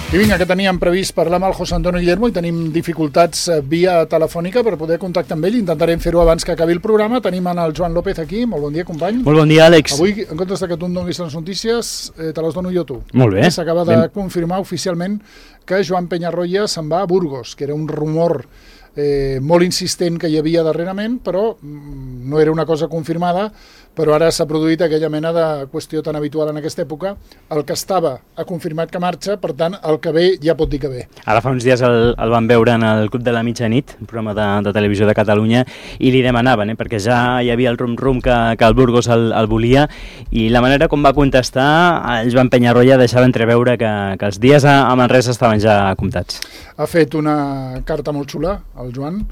I vinga, que teníem previst parlar amb el José Antonio Guillermo i tenim dificultats via telefònica per poder contactar amb ell. Intentarem fer-ho abans que acabi el programa. Tenim el Joan López aquí. Molt bon dia, company. Molt bon dia, Àlex. Avui, en comptes que tu em donis les notícies, te les dono jo tu. Molt bé. S'acaba de confirmar oficialment que Joan Peñarroya se'n va a Burgos, que era un rumor molt insistent que hi havia darrerament, però no era una cosa confirmada, però ara s'ha produït aquella mena de qüestió tan habitual en aquesta època. El que estava ha confirmat que marxa, per tant, el que ve ja pot dir que ve. Ara fa uns dies el van veure en el Club de la Mitjanit, un programa de televisió de Catalunya, i li demanaven, perquè ja hi havia el rum-rum que el Burgos el volia, i la manera com va contestar, el Joan Peñarroya deixava entreveure que els dies a Manresa estaven ja comptats. Ha fet una carta molt xula, el Joan,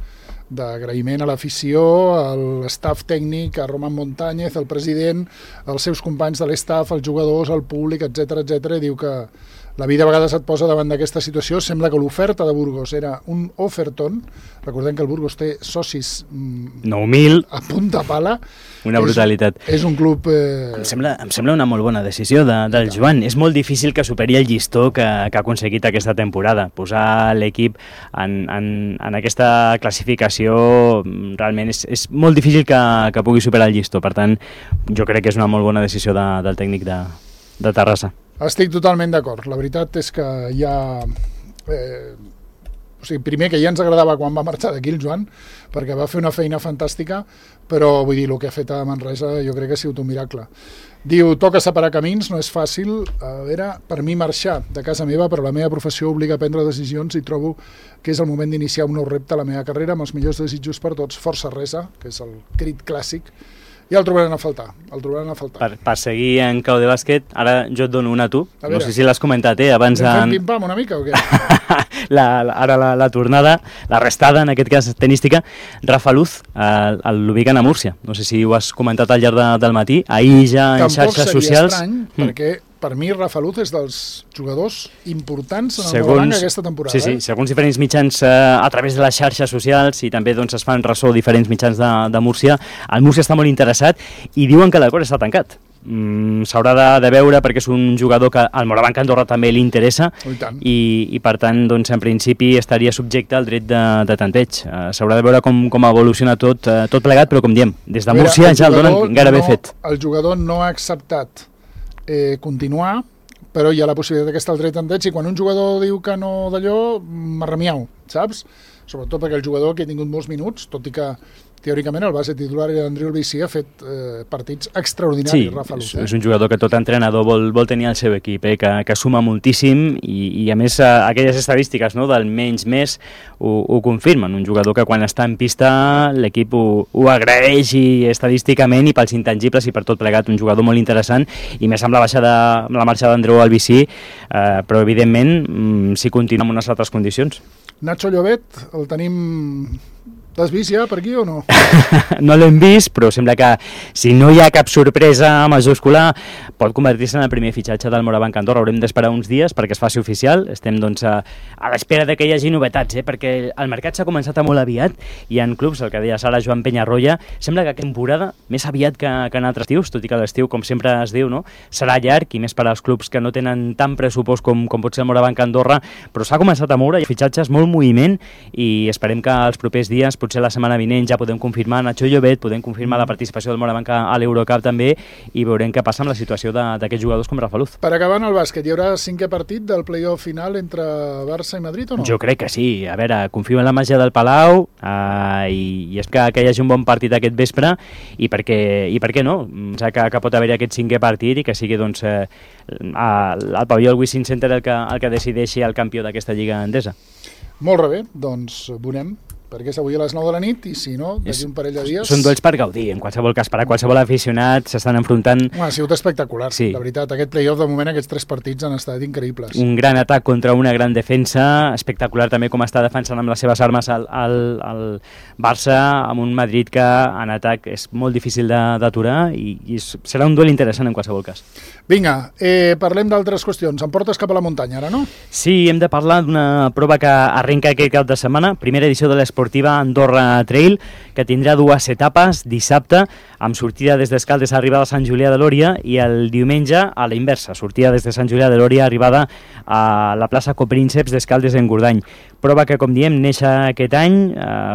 d'agraïment a l'afició, a l'estaf tècnic, a Roman Montañez, al president, als seus companys de l'estaf, als jugadors, al públic, etc etc. I diu que la vida a vegades et posa davant d'aquesta situació. Sembla que l'oferta de Burgos era un oferton. Recordem que el Burgos té socis 9.000 a punta pala. Una brutalitat. És un club... Em sembla una molt bona decisió del Joan. És molt difícil que superi el llistó que ha aconseguit aquesta temporada. Posar l'equip en aquesta classificació realment és molt difícil que pugui superar el llistó. Per tant, jo crec que és una molt bona decisió del tècnic de Terrassa. Estic totalment d'acord. La veritat és que ja... primer que ja ens agradava quan va marxar d'aquí el Joan, perquè va fer una feina fantàstica, però vull dir, el que ha fet a Manresa jo crec que ha sigut un miracle. Diu, toca separar camins, no és fàcil. A veure, per mi marxar de casa meva, però la meva professió obliga a prendre decisions i trobo que és el moment d'iniciar un nou repte a la meva carrera, amb els millors desitjos per tots. Força Resa, que és el crit clàssic. Ja el trobaran a faltar, Per seguir en clau de bàsquet, ara jo et dono una a tu. No sé si l'has comentat, abans... Fem pim-pam una mica o què? Ara la tornada, la restada, en aquest cas tenística, Rafa Luz, l'ubiquen a Múrcia. No sé si ho has comentat al llarg del matí, ahir ja en xarxes socials... Tampoc seria estrany, perquè per mi Rafa Luz és dels jugadors importants en el Morabanc aquesta temporada. Sí, segons diferents mitjans a través de les xarxes socials, i també es fan ressò diferents mitjans de Múrcia, el Múrcia està molt interessat i diuen que l'acord està tancat. S'haurà de veure perquè és un jugador que al Morabanc Andorra també li interessa i per tant en principi estaria subjecte al dret de tanteig. S'haurà de veure com evoluciona tot plegat, però com diem, des de Múrcia ja el donen gairebé fet. El jugador no ha acceptat continuar, però hi ha la possibilitat que està el dret tanteig, i quan un jugador diu que no d'allò, marramiau, saps? Sobretot perquè el jugador que ha tingut molts minuts, tot i que teòricament el base titular Andreu Albicí ha fet partits extraordinaris, Rafa Luz. Sí, és un jugador que tot entrenador vol tenir al seu equip, que suma moltíssim i a més aquelles estadístiques del menys més ho confirmen. Un jugador que quan està en pista l'equip ho agraeix i estadísticament i pels intangibles i per tot plegat, un jugador molt interessant, i més amb la marxa d'Andreu Albicí, però evidentment si continua amb unes altres condicions. Nacho Llobet, el tenim... L'has vist ja per aquí o no? No l'hem vist, però sembla que si no hi ha cap sorpresa majúscula pot convertir-se en el primer fitxatge del Morabanc Andorra. Haurem d'esperar uns dies perquè es faci oficial. Estem a l'espera que hi hagi novetats, perquè el mercat s'ha començat molt aviat i en clubs, el que deia ara Joan Peñarroya, sembla que aquesta temporada més aviat que en altres estius, tot i que l'estiu, com sempre es diu, serà llarg i més per als clubs que no tenen tant pressupost com pot ser el Morabanc Andorra, però s'ha començat a moure, hi ha fitxatges, molt moviment, i esperem que els propers dies, potser la setmana vinent, ja podem confirmar Nacho Llobet, podem confirmar la participació del Morabanc a l'Eurocup també, i veurem què passa amb la situació d'aquests jugadors com Rafa Luz. Per acabar en el bàsquet, hi haurà 5è partit del play-off final entre Barça i Madrid o no? Jo crec que sí. A veure, confio en la màgia del Palau i és que hi hagi un bon partit aquest vespre, i per què no? Que pot haver aquest 5è partit i que sigui el pavelló del Wishing Center el que decideixi el campió d'aquesta lliga endesa. Molt bé, doncs veurem, perquè és avui a les 9 de la nit i si no, d'aquí un parell de dies... Són duels per gaudir, en qualsevol cas, per a qualsevol aficionat s'estan enfrontant... Ha sigut espectacular, sí. La veritat, aquest play-off de moment, aquests 3 partits han estat increïbles. Un gran atac contra una gran defensa, espectacular també com està defensant amb les seves armes el Barça, amb un Madrid que en atac és molt difícil d'aturar i serà un duel interessant en qualsevol cas. Vinga, parlem d'altres qüestions. Em portes cap a la muntanya ara, no? Sí, hem de parlar d'una prova que arrenca aquest cap de setmana, primera edició de l'Esport esportiva Andorra Trail, que tindrà 2 etapes, dissabte, amb sortida des d'Escaldes, arribada a Sant Julià de Lòria, i el diumenge a la inversa, sortida des de Sant Julià de Lòria, arribada a la plaça Coprínceps d'Escaldes en Gordany. Prova que, com diem, neix aquest any,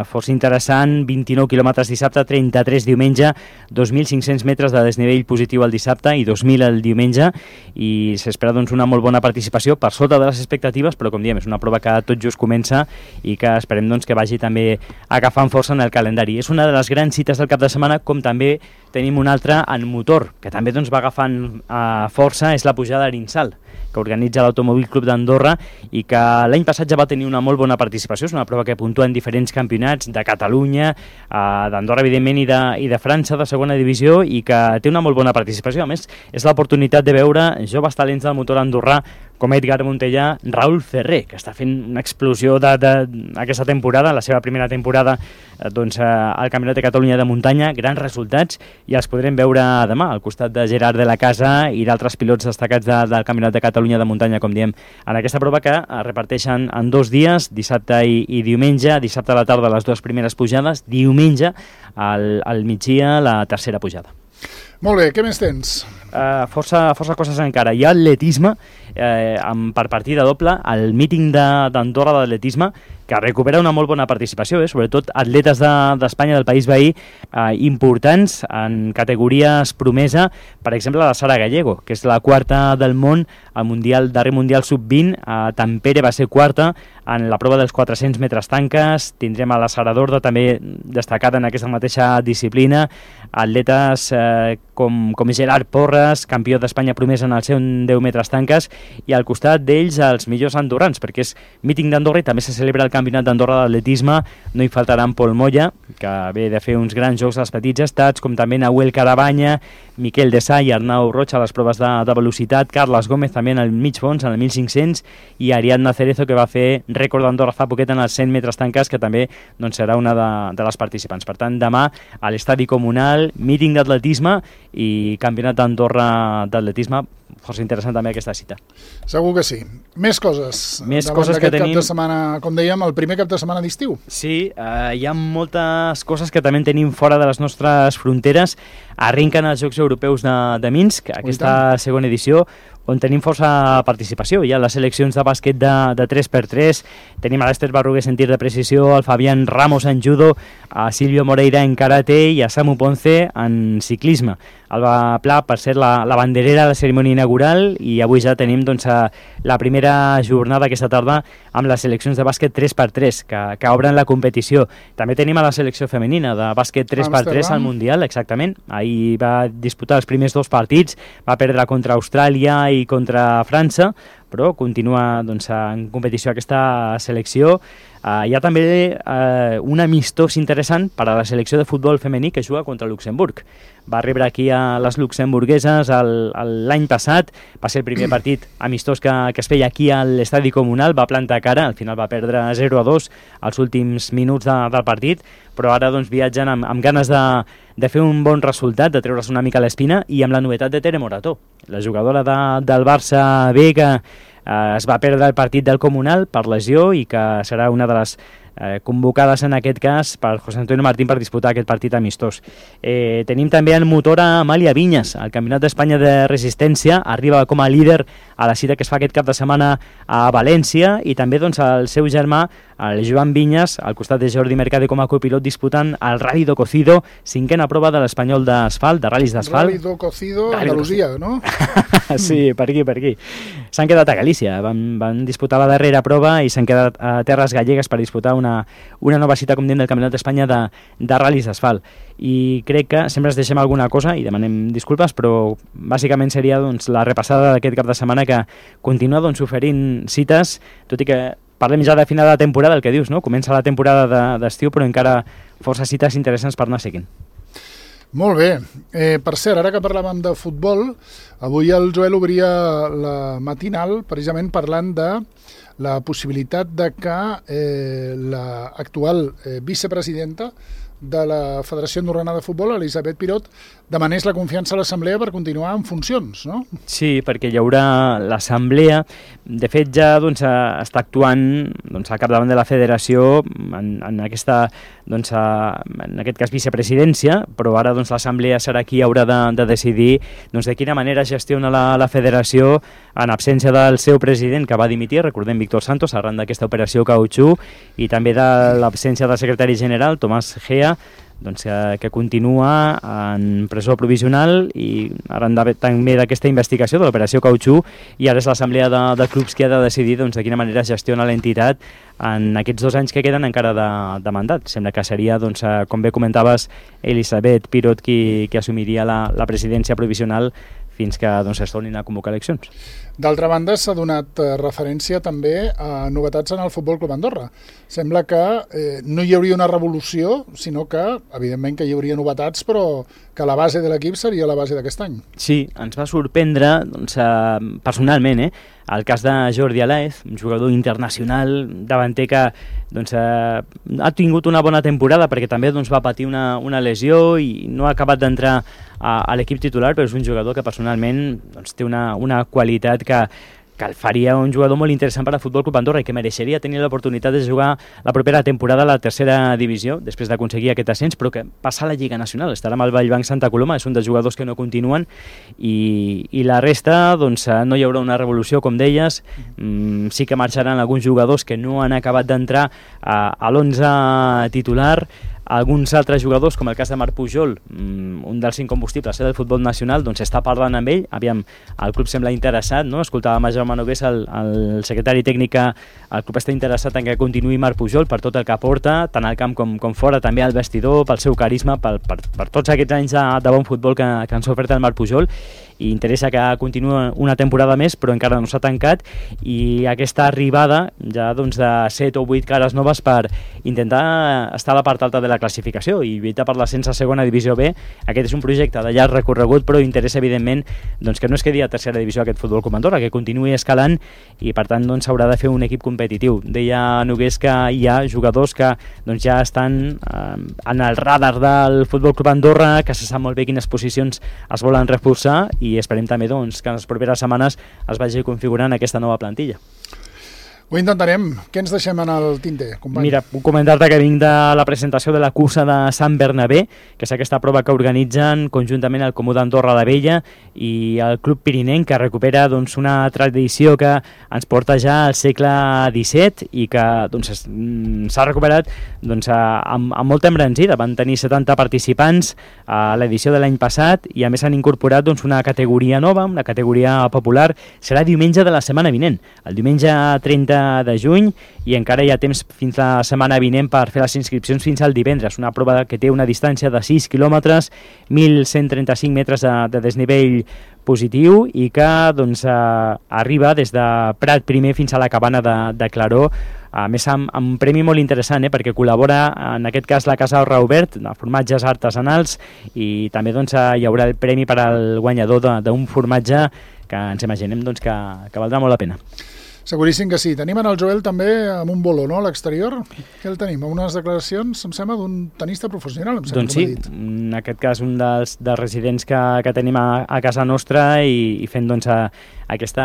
força interessant, 29 quilòmetres dissabte, 33 diumenge, 2.500 metres de desnivell positiu el dissabte i 2.000 el diumenge, i s'espera doncs, una molt bona participació per sota de les expectatives, però com diem, és una prova que tot just comença i que esperem doncs, que vagi també agafant força en el calendari. És una de les grans cites del cap de setmana, com també tenim una altra en motor, que també doncs, va agafant força, és la pujada d'Arinsal, que organitza l'Automòbil Club d'Andorra i que l'any passat ja va tenir una molt bona participació. És una prova que puntua en diferents campionats de Catalunya, d'Andorra, evidentment, i de França, de segona divisió, i que té una molt bona participació. A més, és l'oportunitat de veure joves talents del motor andorrà com Edgar Montellà, Raül Ferrer, que està fent una explosió aquesta temporada, la seva primera temporada doncs, al Campionat de Catalunya de muntanya, grans resultats, i els podrem veure demà al costat de Gerard de la Casa i d'altres pilots destacats del Campionat de Catalunya de muntanya, com diem, en aquesta prova que es reparteixen en 2 dies, dissabte i diumenge, dissabte a la tarda les 2 primeres pujades, diumenge al migdia la tercera pujada. Molt bé, què més tens? Força coses encara. Hi ha atletisme per partida doble, el míting d'Andorra d'atletisme, que recupera una molt bona participació, sobretot atletes d'Espanya, del país veí, importants en categories promesa, per exemple la Sara Gallego, que és la 4a del món al darrer Mundial Sub-20, a Tampere va ser 4a en la prova dels 400 metres tanques. Tindrem a la Sara Dorda també destacada en aquesta mateixa disciplina, atletes com Gerard Porras, campió d'Espanya promesa en els 10 metres tanques, i al costat d'ells els millors andorrans, perquè és míting d'Andorra i també se celebra el Campionat d'Andorra d'atletisme. No hi faltaran Pol Moya, que ve de fer uns grans jocs als petits estats, com també Nahuel Carabanya, Miquel Dessà i Arnau Roig a les proves de velocitat, Carles Gómez també en el mig fons, en el 1500, i Ariadna Cerezo, que va fer rècord d'Andorra fa poquet en els 100 metres tanques, que també doncs, serà una de les participants. Per tant, demà a l'estadi comunal, míting d'atletisme i Campionat d'Andorra d'atletisme, força interessant també aquesta cita. Segur que sí. Més coses. Més coses que tenim. Cap de setmana, com dèiem, el primer cap de setmana d'estiu. Sí, hi ha moltes coses que també tenim fora de les nostres fronteres. Arrenquen els Jocs Europeus de Minsk, aquesta segona edició, on tenim força participació. Hi ha les seleccions de bàsquet de 3x3, tenim a l'Ester Barrugués en tir de precisió, el Fabián Ramos en judo, a Silvio Moreira en karate i a Samu Ponce en ciclisme. Alba Pla, per ser la banderera de la cerimònia inaugural, i avui ja tenim doncs, la primera jornada aquesta tarda amb les seleccions de bàsquet 3x3 que obren la competició. També tenim a la selecció femenina de bàsquet 3x3 al Mundial, exactament. Ahir va disputar els primers 2 partits, va perdre contra Austràlia i contra França, però continua doncs, en competició aquesta selecció. Hi ha també un amistós interessant per a la selecció de futbol femení que juga contra Luxemburg. Va rebre aquí a les luxemburgueses l'any passat, va ser el primer partit amistós que es feia aquí a l'estadi comunal, va plantar cara, al final va perdre 0-2 als últims minuts del partit, però ara doncs, viatgen amb ganes de fer un bon resultat, de treure's una mica l'espina, i amb la novetat de Tere Morató, la jugadora del Barça B, que es va perdre el partit del Comunal per lesió i que serà una de les convocades en aquest cas per José Antonio Martín per disputar aquest partit amistós. Tenim també en motor a Amàlia Vinyes, el Campionat d'Espanya de Resistència, arriba com a líder a la cita que es fa aquest cap de setmana a València, i també doncs, el seu germà, el Joan Vinyes, al costat de Jordi Mercade com a copilot, disputant el Rally do Cocido, 5a prova de l'Espanyol d'asfalt, de ral·lis d'asfalt. Rally do Cocido, Andalusia, no? Sí, per aquí. S'han quedat a Galícia, van disputar la darrera prova i s'han quedat a terres gallegues per disputar una nova cita, com diem, del Campionat d'Espanya de ral·lis d'asfalt. I crec que sempre ens deixem alguna cosa i demanem disculpes, però bàsicament seria doncs, la repassada d'aquest cap de setmana, que continua doncs, oferint cites, tot i que parlem ja de final de temporada, el que dius, no? Comença la temporada d'estiu, però encara força cites interessants per anar seguint. Molt bé. Per cert, ara que parlàvem de futbol, avui el Joel obria la matinal precisament parlant de la possibilitat de que l'actual vicepresidenta de la Federació Andorrana de Futbol, Elisabet Pirot, demanés la confiança a l'Assemblea per continuar en funcions, no? Sí, perquè hi haurà l'Assemblea. De fet, ja està actuant al capdavant de la Federació en aquesta, en aquest cas, vicepresidència, però ara l'Assemblea serà qui haurà de decidir de quina manera gestiona la Federació en absència del seu president, que va dimitir, recordem, Víctor Santos, arran d'aquesta operació Cautxú, i també de l'absència del secretari general, Tomàs Gea, que continua en presó provisional i arran també d'aquesta investigació de l'operació Cautxú, i ara és l'assemblea de clubs qui ha de decidir de quina manera gestiona l'entitat en aquests 2 anys que queden encara de mandat. Sembla que seria, com bé comentaves, Elisabet Pirot qui assumiria la presidència provisional fins que es tornin a convocar eleccions. D'altra banda, s'ha donat referència també a novetats en el Futbol Club Andorra. Sembla que no hi hauria una revolució, sinó que, evidentment, que hi hauria novetats, però que la base de l'equip seria la base d'aquest any. Sí, ens va sorprendre, personalment, el cas de Jordi Alaez, un jugador internacional, davanter que ha tingut una bona temporada perquè també va patir una lesió i no ha acabat d'entrar a l'equip titular, però és un jugador que personalment té una qualitat que el faria un jugador molt interessant per al Futbol Club Andorra i que mereixeria tenir l'oportunitat de jugar la propera temporada a la tercera divisió, després d'aconseguir aquest ascens, però que passa a la Lliga Nacional. Estarà amb el Vallbanc Santa Coloma, és un dels jugadors que no continuen, i la resta no hi haurà una revolució, com deies. Sí que marxaran alguns jugadors que no han acabat d'entrar a l'11 titular. Alguns altres jugadors, com el cas de Marc Pujol, un dels incombustibles del futbol nacional, està parlant amb ell. Aviam, el club sembla interessat, no? Escoltàvem a Jaume Nogués, el secretari tècnic, el club està interessat en que continuï Marc Pujol per tot el que aporta, tant al camp com fora, també al vestidor, pel seu carisma, per tots aquests anys de bon futbol que ens ha ofert el Marc Pujol, i interessa que continuï una temporada més, però encara no s'ha tancat, i aquesta arribada ja de 7 o 8 cares noves per intentar estar a la part alta de la classificació i lluitar per l'ascens a segona divisió B. Aquest és un projecte de llarg recorregut, però interessa evidentment que no es quedi a tercera divisió aquest Futbol Club Andorra, que continuï escalant, i per tant s'haurà de fer un equip competitiu. Deia Nogués que hi ha jugadors que ja estan en el radar del Futbol Club Andorra, que se sap molt bé quines posicions es volen reforçar, i esperem també que en les properes setmanes es vagi configurant aquesta nova plantilla. Ho intentarem. Què ens deixem en el tinter, company? Mira, puc comentar-te que vinc de la presentació de la cursa de Sant Bernabé, que és aquesta prova que organitzen conjuntament el Comú d'Andorra la Vella i el Club Pirinenc, que recupera una tradició que ens porta ja al segle XVII i que s'ha recuperat amb molta embranzida. Van tenir 70 participants a l'edició de l'any passat i a més han incorporat una categoria nova, una categoria popular. Serà diumenge de la setmana vinent, el diumenge 30 de juny, i encara hi ha temps fins la setmana vinent per fer les inscripcions fins al divendres. Una prova que té una distància de 6 quilòmetres, 1.135 metres de desnivell positiu, i que arriba des de Prat primer fins a la cabana de Claró, a més amb un premi molt interessant, perquè col·labora en aquest cas la Casa Raubert, de formatges artesanals, i també hi haurà el premi per al guanyador d'un formatge que ens imaginem que valdrà molt la pena. Seguríssim que sí. Tenim en el Joel també amb un bolo, no?, a l'exterior. Què el tenim? Unes declaracions, em sembla, d'un tenista professional, em sembla. Doncs sí, en aquest cas un dels residents que tenim a casa nostra, i fent aquesta...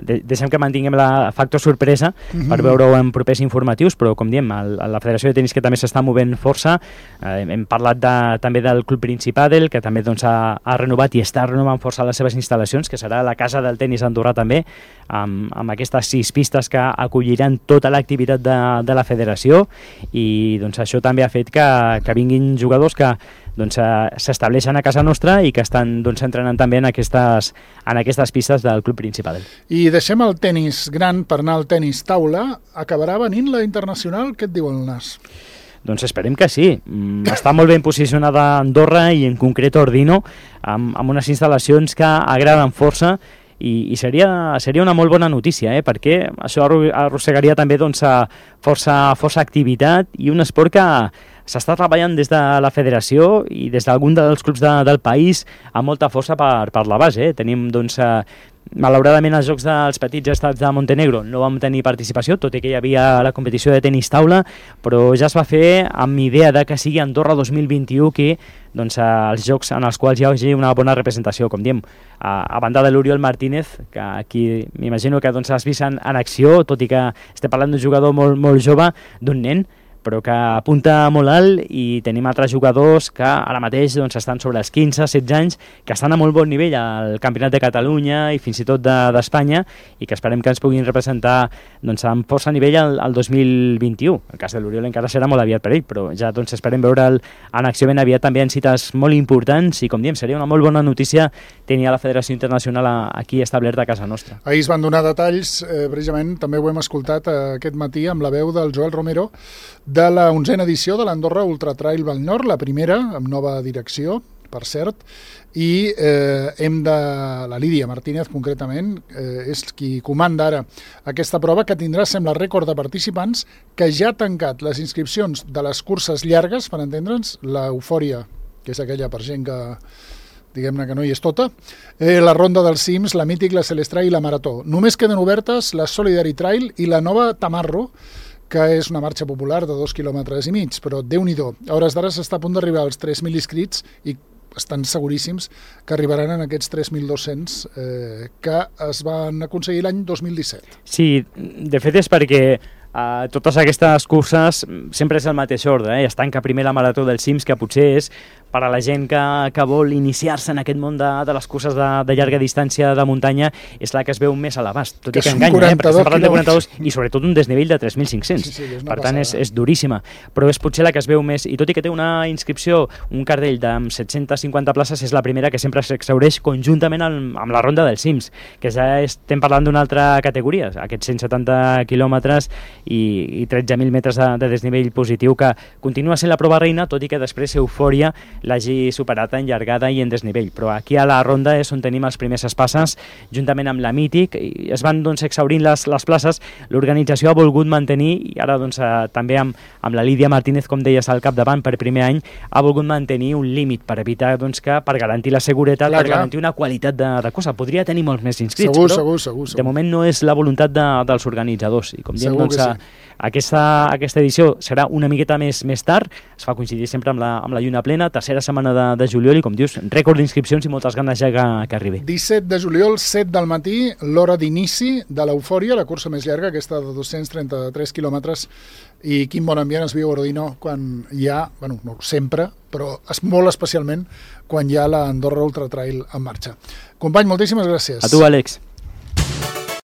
Deixem que mantinguem la factor sorpresa per veure-ho en propers informatius, però com diem, la Federació de Tenis, que també s'està movent força. Hem parlat també del Club Principadel, que també ha renovat i està renovant força les seves instal·lacions, que serà la casa del tenis andorrà també, amb aquestes 6 pistes que acolliran tota l'activitat de la federació, i això també ha fet que vinguin jugadors que s'estableixen a casa nostra i que estan entrenant també en aquestes pistes del Club Principadel. I deixem el tenis gran per anar al tenis taula. Acabarà venint la internacional? Què et diu el nas? Doncs esperem que sí. Està molt ben posicionada Andorra, i en concret Ordino, amb unes instal·lacions que agraden força, i seria una molt bona notícia, perquè això arrossegaria també força activitat, i un esport que s'està treballant des de la federació i des d'algun dels clubs del país amb molta força per la base. Tenim, doncs, malauradament, els Jocs dels Petits Estats de Montenegro no vam tenir participació, tot i que hi havia la competició de tenis taula, però ja es va fer amb idea de que sigui Andorra 2021 que doncs, els jocs en els quals hi hagi una bona representació, com diem, a banda de l'Oriol Martínez, que aquí m'imagino que doncs, has vist en acció, tot i que estem parlant d'un jugador molt, molt jove, d'un nen, però que apunta molt alt, i tenim altres jugadors que ara mateix doncs, estan sobre els 15-16 anys, que estan a molt bon nivell al Campionat de Catalunya i fins i tot d'Espanya, i que esperem que ens puguin representar doncs, amb força nivell al 2021. El cas de l'Oriol encara serà molt aviat per ell, però ja doncs, esperem veure'l en acció ben aviat també en cites molt importants, i com diem, seria una molt bona notícia tenir a la Federació Internacional aquí establerta a casa nostra. Ahir es van donar detalls, precisament també ho hem escoltat aquest matí amb la veu del Joel Romero, de la 11a edició de l'Andorra Ultra Trail Vall Nord, la primera, amb nova direcció, per cert, i la Lídia Martínez, concretament, és qui comanda ara aquesta prova, que tindrà, sembla, rècord de participants, que ja ha tancat les inscripcions de les curses llargues, per entendre'ns, l'Eufòria, que és aquella per gent que diguem-ne que no hi és tota, la Ronda dels Cims, la Mític, la Celestrai i la Marató. Només queden obertes la Solidary Trail i la nova Tamarro, que és una marxa popular de 2,5 quilòmetres, però Déu-n'hi-do. A hores d'ara s'està a punt d'arribar als 3.000 inscrits i estan seguríssims que arribaran en aquests 3.200 que es van aconseguir l'any 2017. Sí, de fet és perquè totes aquestes curses sempre és el mateix ordre, es tanca primer la Marató dels Cims, que potser és per a la gent que vol iniciar-se en aquest món de les curses de llarga distància de muntanya, és la que es veu més a l'abast, tot i que enganya, perquè estem parlant de 42 i sobretot un desnivell de 3.500, sí, per tant és duríssima, però és potser la que es veu més, i tot i que té una inscripció, un cartell de 750 places, és la primera que sempre s'exhaureix conjuntament amb la Ronda dels Cims, que ja estem parlant d'una altra categoria, aquests 170 quilòmetres i 13.000 metres de desnivell positiu, que continua sent la prova reina, tot i que després Eufòria l'hagi superat en llargada i en desnivell. Però aquí a la ronda és on tenim els primers espasses, juntament amb la Mític, i es van doncs, exhaurint les places. L'organització ha volgut mantenir, i ara doncs, també amb la Lídia Martínez, com deies, al capdavant per primer any, ha volgut mantenir un límit per evitar doncs, que per garantir la seguretat, per garantir una qualitat de cosa. Podria tenir molts més inscrits, segur. De moment no és la voluntat dels organitzadors. I com diem, doncs, aquesta edició serà una miqueta més tard, es fa coincidir sempre amb la lluna plena, tercera setmana de juliol, i com dius, rècord d'inscripcions i moltes ganes ja que arribi. 17 de juliol, 7 del matí, l'hora d'inici de l'Eufòria, la cursa més llarga, aquesta de 233 quilòmetres, i quin bon ambient es viu a Ordino quan hi ha, no sempre, però molt especialment quan hi ha l'Andorra Ultra Trail en marxa. Company, moltíssimes gràcies. A tu, Àlex.